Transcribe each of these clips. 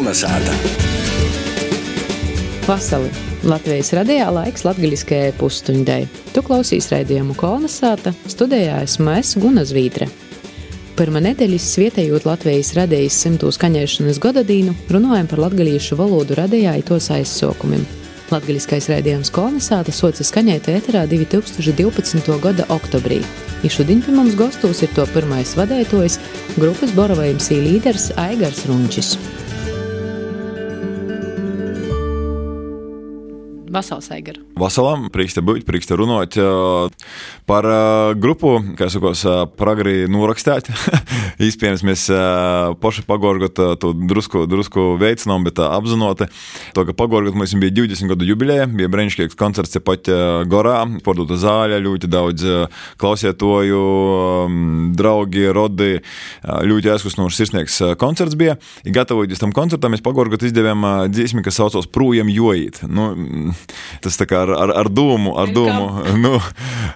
Kolnesāta. Vasali! Latvijas radijā laiks latgaļiskajai pusstundai. Tu klausīs raidījumu Kolnesāta, studijā esmu Guna Zvītre. Pirma nedēļas svietējot Latvijas radijas 100. skaņēšanas godadīnu, runājam par latgalīšu valodu radijā i tos aizsokumim. Latgaļiskais raidījums Kolnesāta soca skaņēt ēterā 2012. gada oktobrī. I šodien pie mums gostūs ir to pirmais vadētojs, grupas Borova MC līderis Aigars Runčis. Vasals, Aigar. Vasalam, priekš te būt, priekš te runot par grupu, kā sakos, pragri norakstēt. Īspējams, mēs poši pagorgot to drusku veicinām, bet apzinoti. To, ka pagorgot mums bija 20 gadu jubileja, bija brīnišķīgs koncerts tepat Gorā, porduta zāļa, ļoti daudz klausietoju, draugi, rodi, ļoti aizkustinošs sirsnieks koncerts bija. I gatavojoties tam koncertam, mēs pagorgot izdevām dziesmi, kas saucos Prūjam jojīt. Tas tā kā ar dūmu,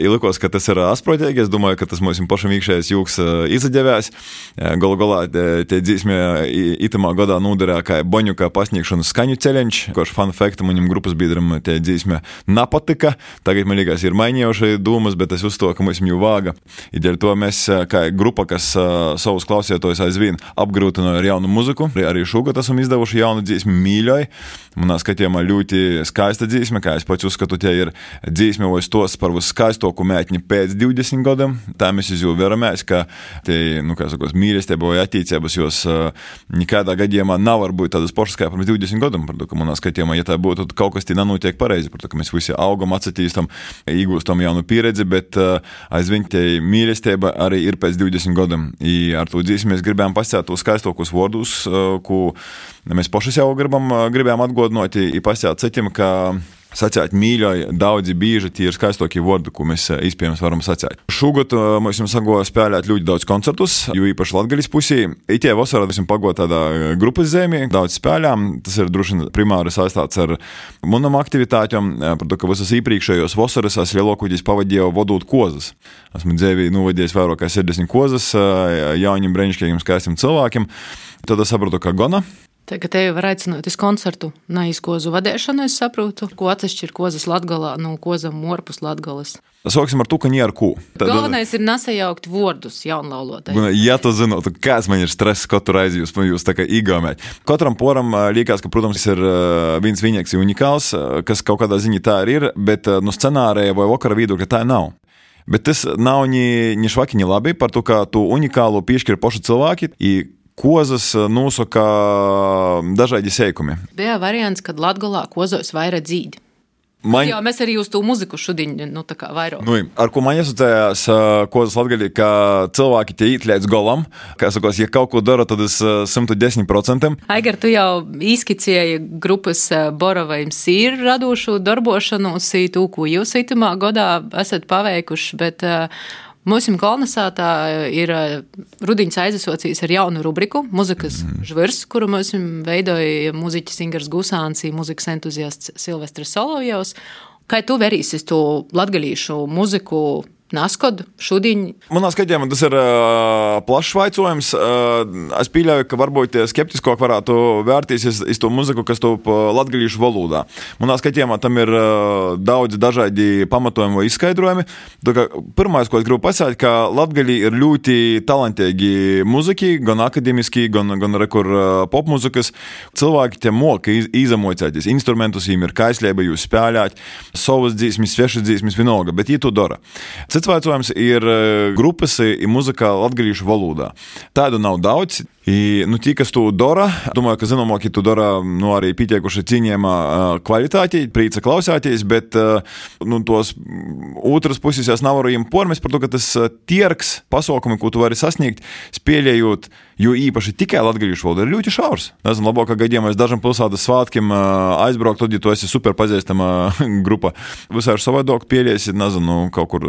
likos, ka tas ir asprotīgi, es domāju, ka tas mums pašam iekšējais jūks izadevās. Galā tie dzīsmē itamā gadā nūderā kā Boņuka pasniegšanas skaņu ceļenč, koš fun fact, maņam grupas biedram tie dzīsmē napatika, tagad man liekas ir mainījuši dūmas, bet es uzto, ka mums jau vāga. I dēļ to mēs, kā grupa, kas savus klausietojus aizvien apgrūtinoja ar jaunu muziku, arī šogad esam izdevuši jaunu dzīsmi Mīļoj. Manā skatījumā ļoti skaista dzīsme, kā es pats uzskatu, tie ir dzīsme vai stos par viskaistoku mētni pēc 20 gadiem. Tā mēs jau veramies, ka tie, mīlestība vai attīcības jos nekādā gadījumā nav varbūt tādas pašas kā pirms 20 gadiem. Par to, ka manā skatījumā, ja tā būtu, tad kaut kas tī nenotiek pareizi. Par to, ka mēs visi augam, atsatīstam, iegūstam jaunu pieredzi, bet aizvien tie mīlestība arī ir pēc 20 gadiem. I ar to dzīsmi mēs gribējām pasēt tos skaistokus vārdus, ko mēs paši jau gribējām atgodināt i pasēt citim, ka sacēt mīļoj daudzi bīži, tie ir skaistokie vārdi, ko mēs iespējams varam sacēt. Šogad mēs jums sago spēlēt ļoti daudz koncertus, jo īpaši Latgaļas pusī. Itie vasarā mēs jums pago tādā grupas zemī, daudz spēlām. Tas ir droši primāri saistāts ar munam aktivitātiem, par to, ka visas īpriekšējos vasaras es lielākoties pavadīju vodūt kozas. Esmu dzēvī novadījis vairāk kā 70 kozas jauņiem brīnišķīgiem skaistiem cilvēkiem. Tad es saprotu, ka gana. Tagad tevi var aicināt uz koncertu, neiz kozu vadēšanu, es saprotu, ko atsešķir kozas Latgalā no kozam orpus Latgalas. Sāksim ar to, ka nie ar ko. Galvenais ir nesajaukt vārdus jaunlaulotājiem. Ja tu zinotu, kāds man ir stress katru reizi jūs tā kā īgāmēt. Katram poram liekas, ka, protams, ir viens vienīgs unikāls, kas kaut kādā ziņā tā ir, bet no scenārija vai vakara viedokļa tā nav. Bet tas nav ni švaki, ni labi par to, ka tu unikālu piešķir paši cilvēki i kozas nosaka dažādi seikumi. Bija variants, kad Latgalā kozos vaira dzīdi. Jā, mēs arī uz to muziku šodien, tā kā vairāk. Ar ko man asociējās kozas Latgalī, ka cilvēki tie īt līdz golam, kā sakos, ja kaut ko dara, tad es 110%. Aigar, tu jau izskicēji grupas Borova MC ir radošu darbošanos, to, ko jūs itamā gadā esat paveikuši, bet mūsu Kolnesātā ir rudiņas aizasocījis ar jaunu rubriku Muzikas žvirs, kuru mums veidoja muziķis Ingars Gusāns, muzikas entuziasts Silvestris Solovjovs. Kā tu verīsies to latgalīšu muziku naskod šodien? Manā skatījumā tas ir plašs vaicojums. Es pieļauju, ka varbūt skeptiskāk varētu vērtīsies iz to muziku, kas top latgalīšu valodā. Manā skatījumā tam ir daudz dažādi pamatojumi vai izskaidrojumi. Pirmais, ko es gribu pasēt, ka latgalī ir ļoti talantīgi muziki, gan akademiski, gan popmuzikas. Cilvēki te moka izamocēties instrumentus, viņiem ir kaislība jūs spēlēt, savas dzīsmes, svešas dzīsmes, vienalga, bet viņi to dara. Cits vaicojums ir grupas i muzika latgalīšu valodā. Tādu nav daudz. Tie, kas to dara, domāju, ka zināmāki to dara arī pietiekuši cienījumā kvalitāti, prīca klausāties, bet tos otras puses es nevaru jiem pormest par to, ka tas tierks pasaukumi, ko tu vari sasniegt, spēlējot, jo īpaši tikai latgalīšu valodā ir ļoti šaurs. Nezinu, labākā gadījumā es dažam pilsētas svētkiem aizbraukt, tad, ja tu esi super pazīstama grupa. Visā ir savādāk pēļiesi, nezinu, kaut kur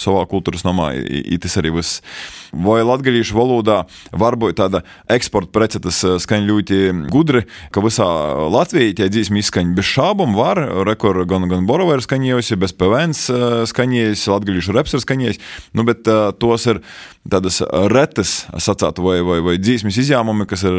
savā kultūras namā, tas arī viss. Vai latgalīšu valodā varbūt tāda tāda eksporta prece, tas skaņ ļoti gudri, ka visā Latvijā tie dzīsmi izskaņ bez šābum var, rekor gan Borova ir skaņējusi, bez PVNs skaņējusi, latgalīšu reps ir skaņējis, nu, bet tos ir tādas retas, sacātu, vai dzīsmis izjāmumi, kas ir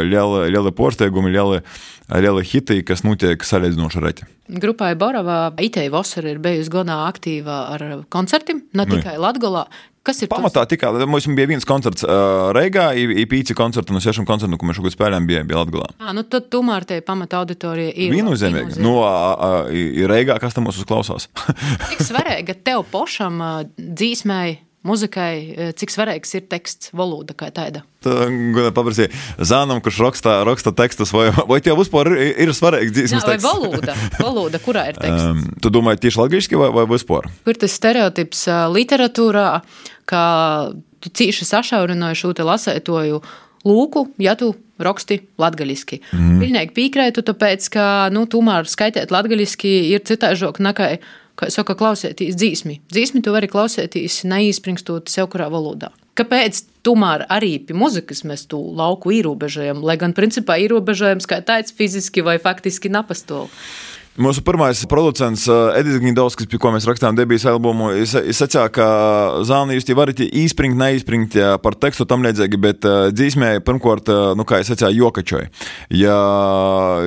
liela porsteigumi, liela hiti, kas notiek salīdzinoši reti. Grupai Borova itei vasara ir bijusi godā aktīva ar koncertiem, ne tikai Latgolā. Kas ir pamatā tikai, mums bija viens koncerts Reigā, i 5 koncerti no 6 koncertu, ko mēs šogad spēlējām, bija Latgolā. Nu tad tomēr te pamata auditorija ir. Viennozīmīgi. Nu, Reigā, kas tam mūs uzklausās? Cik svarīga tev pošam dzīsmēji, muzikai, cik svarīgs ir teksts, valoda kā tāda? Paprasīja Zānam, kurš raksta tekstus, vai tev vispār ir svarīgs dzīsmes teksts? Vai valoda, kurā ir teksts? Tu domāji tieši latgaliski vai vispār? Kur tas stereotips literatūrā, ka tu cīši sašaurināji šo te lasētoju lūku, ja tu raksti latgaliski. Pilnīgi pīkrētu, tāpēc, ka, tomēr skaitēt latgaliski ir citāžok nekā, kā saka, klausētīs dzīsmi. Dzīsmi tu vari klausētīs neīspringstot sev kurā valodā. Kāpēc tomēr arī pie muzikas mēs tu lauku ierobežojam, lai gan principā ierobežojams kā tāds fiziski vai faktiski napastol? Mūsu pirmais producents Edis Gnidovskis, pie ko mēs rakstām debijas albumu, sacīja, ka Zāni, jūs tie varat īspringt, neīspringt par tekstu tam līdzīgi, bet dzīsmē, pirmkārt, kā es sacīju, jokačoju. Ja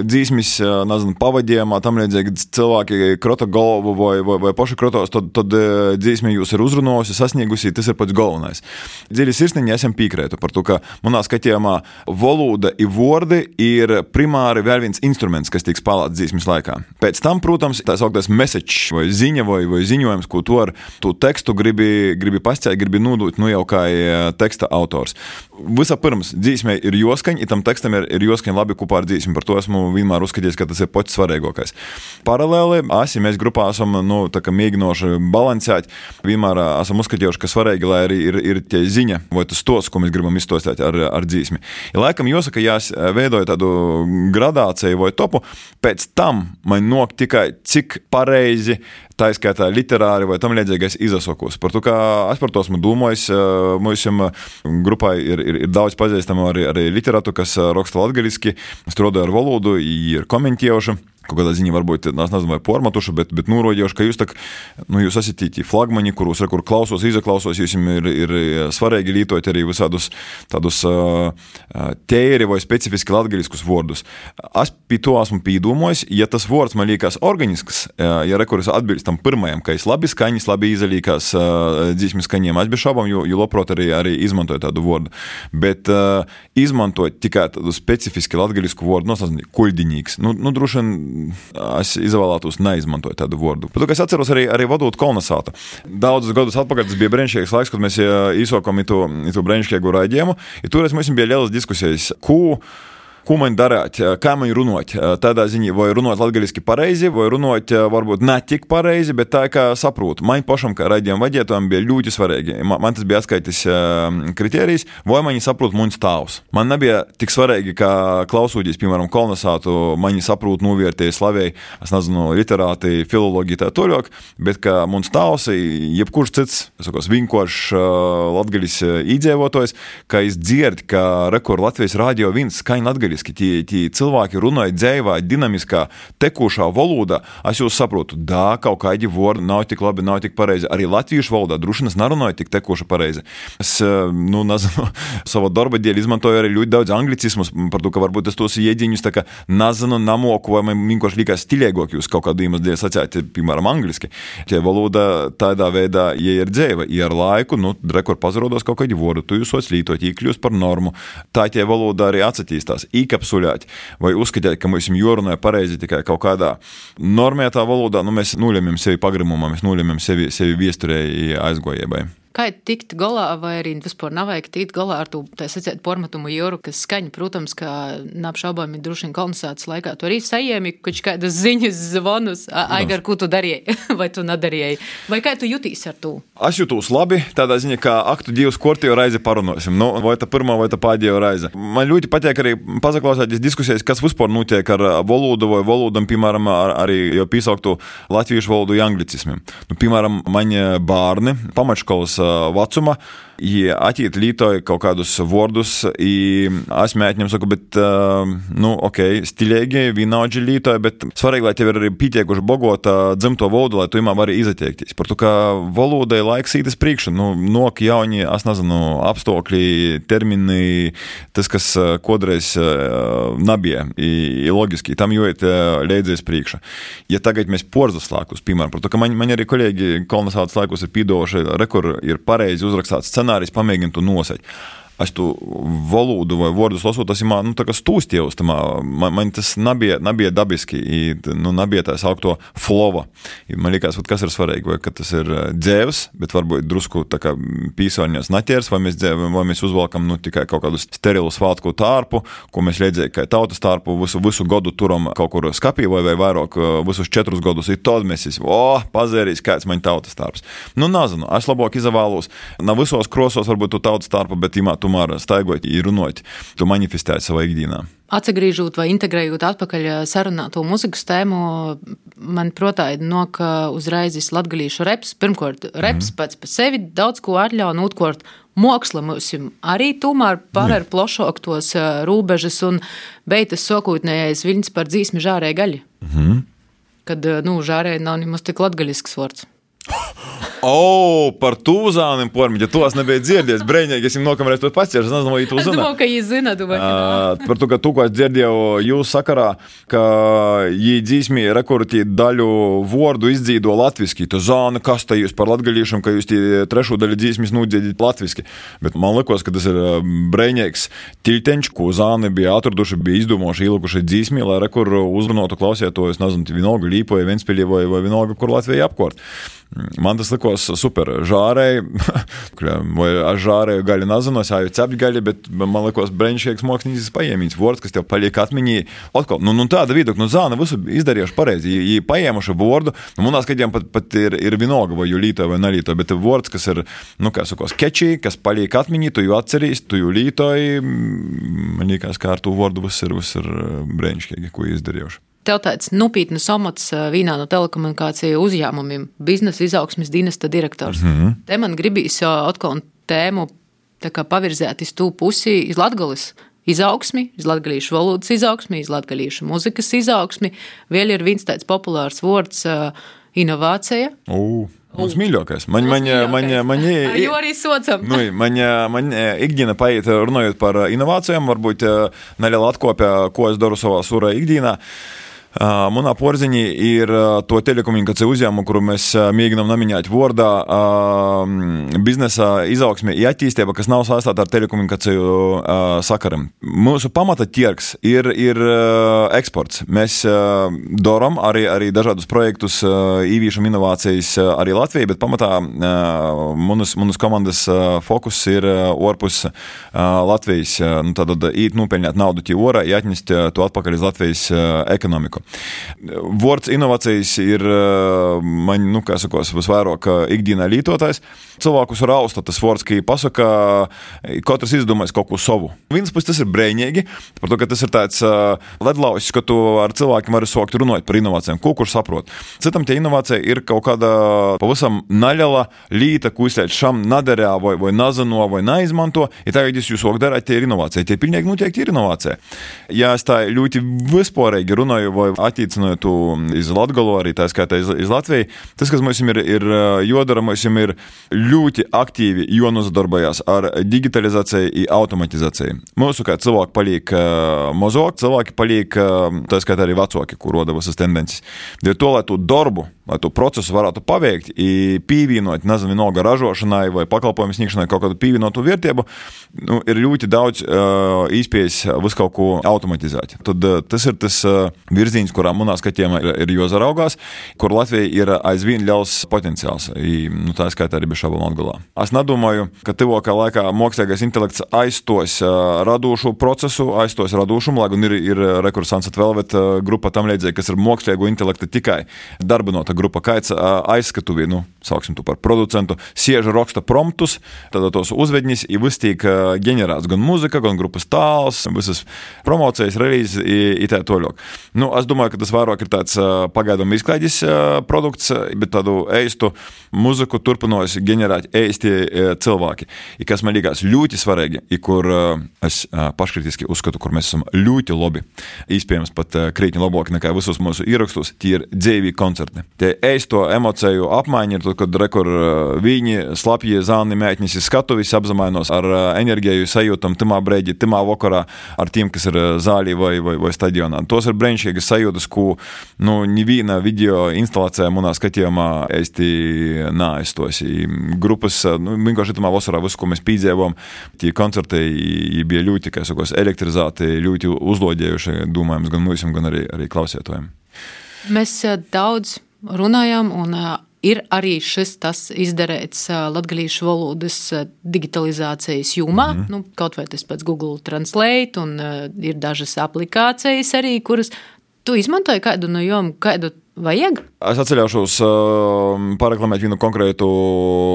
dzīsmis, nezinu, pavadījumā tam līdzīgi cilvēki krota galvu vai paši krotos, tad dzīsmē jūs ir uzrunojusi, sasniegusi, tas ir pats galvenais. Dziļi sirsniņi esam pīkrētu par to, ka manā skatījumā valoda i vordi ir primāri vēl viens instruments, kas tiek spēlēts dzīsmis laikā. Pēc tam, protams, tā sauktais message vai ziņa vai ziņojums, ko tu ar tu tekstu gribi pasciēt, gribi nodot, jau kā teksta autors. Visapirms dzīsmē ir joskaņ, tam tekstam ir joskaņ labi kopā ar dzīsmi. Par to esmu vienmēr uzskatījis, ka tas ir pats svarīgākais. Paralēli, mēs grupā esam, mēģinoši balansēt, vienmēr esam uzskatījuši, ka svarīgi, lai arī ir tie ziņa vai tas tos, ko mēs gribam izstostēt ar dzīsmi. Ja laikam jāsaka, ja es veidoju tādu gradāciju vai topu, pēc tam man nok tikai cik pareizi, tā izskaitā literāri vai tam līdzīgais izasokos. Par to, kā es par to esmu domājis, mūsim grupai ir daudz pazīstamu arī literātu, kas raksta latgaliski, strādāja ar valodu, ir komentējuši. Kaut kādā ziņā varbūt, es nezinu, vai pormatuši, bet nūroģējuši, ka jūs esat tī flagmaņi, kur klausos, izaklausos, jūs ir svarīgi lītot arī visādus tādus tēri vai specifiski latgaliskus vārdus. Es pie to esmu pīdūmojis, ja tas vārds man liekas organisks, ja rekuris atbilst tam pirmajam, ka es labi skaņas, labi izalīkās dzīsmi skaņiem, es bez šaubām, jo labprāt arī izmantoju tādu vārdu. Bet izmantot tikai tādu specifiski latgalisku vārdu, kuļdiņīgs, droši vien es izvēlētos neizmantoju tādu vārdu. Pat, ka es atceros arī vadot kolonizātu. Daudzus gadus atpakaļ tas bija brīnišķīgs laiks, kad mēs īsokam itu brīnišķīgu raidījumu. Toreiz mums bija lielas diskusijas, ko man darāt, kā man runāt. Tādā ziņā, vai runāt latgaliski pareizi, vai runāt varbūt ne tik pareizi, bet tā, kā saprotu. Man pašam, kā raidījuma vadītājam, bija ļoti svarīgi. Man tas bija atskaitis kritērijs, vai mani saprot muns tēvs. Man nebija tik svarīgi, kā klausūties, piemēram, kolonizātu, mani saprot, novērtēja, slavēja, es nezinu, literāti, filologi tā toļok, bet kā muns tēvs, jebkurš cits, vienkārši latgalis iedzīvotājs, ka es dzirdu, ka rekord Latvijas radio viens skaņa latgalis. Tie cilvēki runāja dzēvā, dinamiskā, tekūšā valodā. Es jūs saprotu, kaut kādi vārdi nav tik labi, nav tik pareizi. Arī latviešu valodā drušinas nerunāja tik tekūša pareizi. Es, nezinu, savu darba dēļ izmantoju arī ļoti daudz anglicismus, par to, ka varbūt es tos iedziņus tā kā nezinu, namoku, vai man vienkārši likās stiļēgāk jūs kaut kādu iemeslu dēļ sacēt, piemēram, angliski. Tie valoda tādā veidā, ja ir dzēva, ja ar laiku, rekord pazarodos kaut kādi vārdi, tu jūs lietot, iekļūst par normu. Tā tie valoda arī atsatīstās. Kapsulēt vai uzskatīt, ka mums jorunāja pareizi tikai kaut kādā normētā valodā, mēs nuļemjam sevi pagrimumā, mēs nuļemjam sevi viesturēji aizgojēbai. Kā tikt galā, vai arī vispār nav vajag tikt galā ar to, tā sacēt, pormatumu joru, kas skaņa, protams, ka neapšaubāmi droši vien kolonizācijas laikā. Tu arī sajēmi kādas ziņas, zvonus, Aigar, ko tu darīji, vai tu nedarīji, vai kā tu jutīs ar to? Es jūtos labi, tādā ziņā, ka aktu divas kortējo reizi parunosim, vai tā pirmā, vai tā pēdējā reize. Man ļoti patīk arī pazaklausēties diskusijas, kas vispār notiek ar valodu vai valodam, piemēram, arī jau piesauktu latviešu valodu anglicismiem. Piemēram, mani bērni pamatškolas vecuma atīt lītoja kaut kādus vordus, es mēķņam saku, bet, stilīgi, vienaudži lītoja, bet svarīgi, lai tev ir arī pītiekuši bogota dzimto valodu, lai tu imā vari izatiektīs. Par to, ka valodai laiks ītas priekšu, nok jauni, es nezinu, apstākļi, termini, tas, kas kodreiz nabija, logiski, tam jūiet leidzies priekšu. Ja tagad mēs porzaslākus, piemēram, par to, ka man arī kolēģi kolonizācijas laikos ir pīdoši, rekur ir pareizi uzrakstāts scenārijs, pamēģina tu nosēt. Es tu valodu vai vārdus lasot, tas ir tā kā stūstievs, man tas nabija dabiski, nabija tā saukto flova. Man liekas, kas ir svarīgi, vai ka tas ir dzēvs, bet varbūt drusku tā kā pīsārņās naķers, vai mēs uzvalkam tikai kaut kādu sterilu svātku tārpu, ko mēs liedzēja, kā tautas tārpu, visu godu turam kaut kur skapī vai vairāk, visus 4 gadus, ir tad mēs pazērīs, kāds man tautas tārps. Nezinu, es labāk izavālos, na visos krosos varbūt tu tautas tārpu, bet tomēr staigojot, runājot, tu manifestēji savā ikdienā. Atsagrīžot vai integrējot atpakaļ sarunāto muzikas tēmu, man protāja uzreiz latgalīšu reps. Pirmkārt, reps pats par sevi daudz ko atļauj, un otrkārt, māksla mums arī tomēr paver plašāk tos rūbežas un beitas sokūtnējais viļņs par dzīsmi žārēja gaļi. Kad, žārēja nav nemaz tik latgaļisks vārds. Par tūzānim pormiņu, ja to es nebiju dzirdies, brēņīgi, es jums nokamreiz to paciešu, es nezinu, vai tu zina. Es domāju, ka jūs zina, par to, ka tu, ko es dzirdēju jūs sakarā, ka jī dzīsmī rekortī daļu vordu izdzīdo latviski, tu zāni, kas tā jūs par latgalīšam, ka jūs tī trešo daļu dzīsmis nūdzīdīt latviski. Bet man likos, ka tas ir brēņīgs tilteņš, ko zāni bija atraduši, bija izdomājuši, ielikuši dzīsmī, lai rekur uzrunātu klausieto, es nezinu, vienalga Līpoja, Ventspilī vai vienalga, kur Latvija apkort. Man tas likos super. Žārēji, vai es žārēju gaļu nezinu, es jāju cepļu gaļu, bet man likos brēņšīgs mākslinieks paiemīts vords, kas tev paliek atmiņī. Otkal, tāda viduk, zāna visu izdarījuši pareizi. Jī paiemuši vordu, manā skatījumā pat ir vienalga, vai jū lītoja vai nelītoja, bet vords, kas ir, skečī, kas paliek atmiņī, tu jū atcerīs, tu jū lītoji. Man liekas, kā ar tu vordu viss ir brēņšīgi, ko izdarījuši. Tev tāds nopietnas amats vienā no telekomunikāciju uzņēmumiem, biznesa izaugsmes dienesta direktors. Te man gribīs atkal tēmu pavirzēt iz tū pusi, iz latgalis izaugsmi, iz latgalīšu valodas izaugsmi, iz latgalīšu muzikas izaugsmi. Vēl ir viens tāds populārs vārds inovācija. Mums mīļākais. Jo arī socam. Man ikdiena paiet runājot par inovācijām, varbūt neliela atkopja, ko es daru savā surā ikdienā. Manā porziņī ir to telekomunikāciju uzņēmumu, kuru mēs mēģinām namiņāt vārdā biznesa izaugsme i attīstība, kas nav saistāta ar telekomunikāciju sakaram. Mūsu pamata tirgs ir eksports. Mēs daram arī dažādus projektus, īvīšam inovācijas arī Latvijai, bet pamatā manas komandas fokus ir orpus Latvijas. Tātad īt nūpeļņāt naudu tie orā, atņest to atpakaļ iz Latvijas ekonomiku. Vords inovācijas ir man, visvairāk ikdienā lītotājs. Cilvēkus rausta tas vords, ka pasaka, katrs izdomājas kaut ko savu. Viens puses tas ir brēņīgi, par to, ka tas ir tāds ledlauzis, ka tu ar cilvēkiem vari sākt runāt par inovācijām, ko kurš saprot. Citam tie inovācija ir kaut kāda pavisam naļala līta, ko izslēdz šam nadarā vai nazano vai neizmanto, ja tagad jūs sāk darāt, tie ir inovācija. Tie pilnīgi noteikti ir inovācija. Ja es tā ļoti vispārīgi runāju vai attīcinot iz Latgalu, arī tā skaitā iz Latviju, tas, kas mums ir jodara, mums ir ļoti aktīvi jānozadarbojās ar digitalizāciju i automatizāciju. Mūsu kā cilvēki paliek mazāk, cilvēki paliek, tā skaitā arī vecāki, kur roda visas tendences. Dēļ to, lai tu darbu, lai tu procesu varētu paveikt i pīvienot, nezinu, vienalga ražošanai vai pakalpojumu sniegšanai kaut kādu pīvienotu vērtību, ir ļoti daudz īspējas visu kaut ko automatizēt. Tad tas ir tas virziens, kurā manā skatījumā ir jāzaraugās, kur Latvija ir aizvien liels potenciāls. Tā skaitā arī bez šaubām Latgalā. Es nedomāju, ka tuvākā laikā mākslīgais intelekts aizstos radošu procesu, aizstos radošumu, lai gan ir Sunset Velvet grupa tam līdzīgi, kas ir mākslīgo intelekta tikai darbinota grupa, kaits aizskatuvī, sauksim tu par producentu, sieža raksta promptus, tad tos uzvedņis i viss tiek ģenerēts gan muzika, gan grupas tāls, visas promocijas, relīzes i tā toļok. Es domāju, ka tas vairāk ir tāds pagaidām izklaides produkts, bet tādu eistu muziku turpinojas ģenerēt eisti cilvēki. I kas man liekas ļoti svarīgi, i kur es paškritiski uzskatu, kur mēs esam ļoti labi. Iespējams pat krītni labāk nekā visos mūsu ierakstos, tie ir dzīvī koncerti. Tie eisto emociju apmaiņa ir, kad rekur viņi slapji zāni mētnis skatuvis apzamainos ar enerģiju sajūtam timā breidi, timā vakarā ar tiem, kas ir zālī vai stadionā. Tos ir brēņšīgas sajūtas, ko nevīna video instalācijā munā skatījumā eisti nāistos. Grupas, vienkārši timā vasarā visu, ko mēs pīdzēvam, tie koncerti bija ļoti, kā sakos, elektrizēti, ļoti uzlodējuši, domājams, gan mūsim, gan arī klausietojiem. Mēs daudz runājam un ir arī šis tas izdarēts latgalīšu valodas digitalizācijas jomā, kaut vai tas pats Google Translate un ir dažas aplikācijas arī, kuras tu izmantoji kādu no jom, kādu vajag? Es atceļaušos pareklamēt vienu konkrētu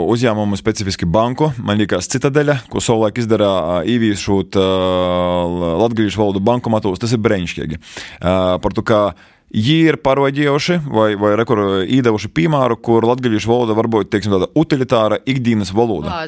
uzņēmumu, specifiski banku. Man liekas Citadeļa, ko savulaik izdarā īvīšot latgalīšu valodu bankomatos, tas ir brēņšķīgi. Par to, kā Jī ir parodījuši vai rekur īdevuši piemēru, kur latgalīšu valoda varbūt, teiksim, tāda utilitāra ikdienas valoda.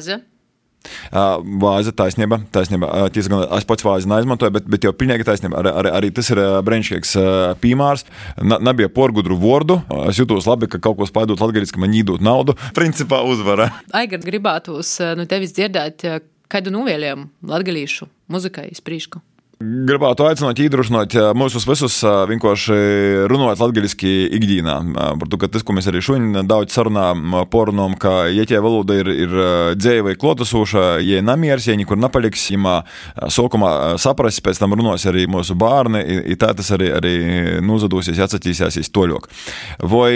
Vāze, taisnība. Tiesa gan es pats vāzi neizmantoju, bet jau pilnīgi taisnība. Arī tas ir brēņšīgs piemērs. Nebija porgudru vordu. Es jūtos labi, ka kaut ko spaidot latgalīts, ka man īdot naudu. Principā uzvara. Aigard, gribētos tevis dzirdēt, kādu novēlējumu latgalīšu muzikai iz prīšku. Gribētu aicināt, iedrošināt mūsus visus vienkārši runāt latgaliski ikdīnā. Par to, ka tas, ko mēs arī šodien daudz sarunām, porunām, ka ja tie valoda ir dzēja vai klotosūša, ja namiers, ja nekur napaliks, ja sokumā saprast, pēc tam runās arī mūsu bārni, i tā tas arī nuzadūsies, atsatīsies toļok. Vai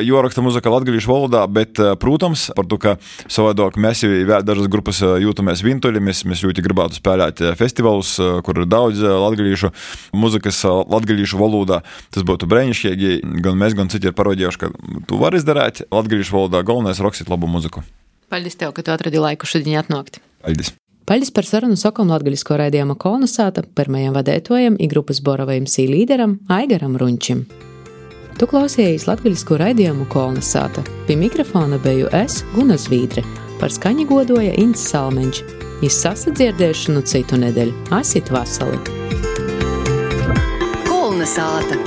joraksta muzika latgalīšu valodā, bet, protams, par to, ka savādāk mēs vēl dažas grupas jūtamies vintuļi, mēs ļoti gribētu spēlēt festivalus, kur daudz latgalīšu muzikas latgalīšu valodā. Tas būtu brēnišķīgi. Gan mēs, gan citi ir parodījuši, ka tu vari izdarēt latgalīšu valodā. Galvenais rakstīt labu muziku. Paldies tev, ka tu atradi laiku šodien atnākt. Paldies. Paldies par sarunu sakom latgalisko raidījuma Kolnasāta pirmajam vadētojam i grupas Boravajam sī līderam Aigaram Runčim. Tu klausījies latgalisko raidījumu Kolnasāta. Pie mikrofona beju es, Guna Zvīdre. Par skaņu godoja Ints Salmeņš. Izsasadzirdēšanu citu nedēļu. Asit vasali! Kolnasāta.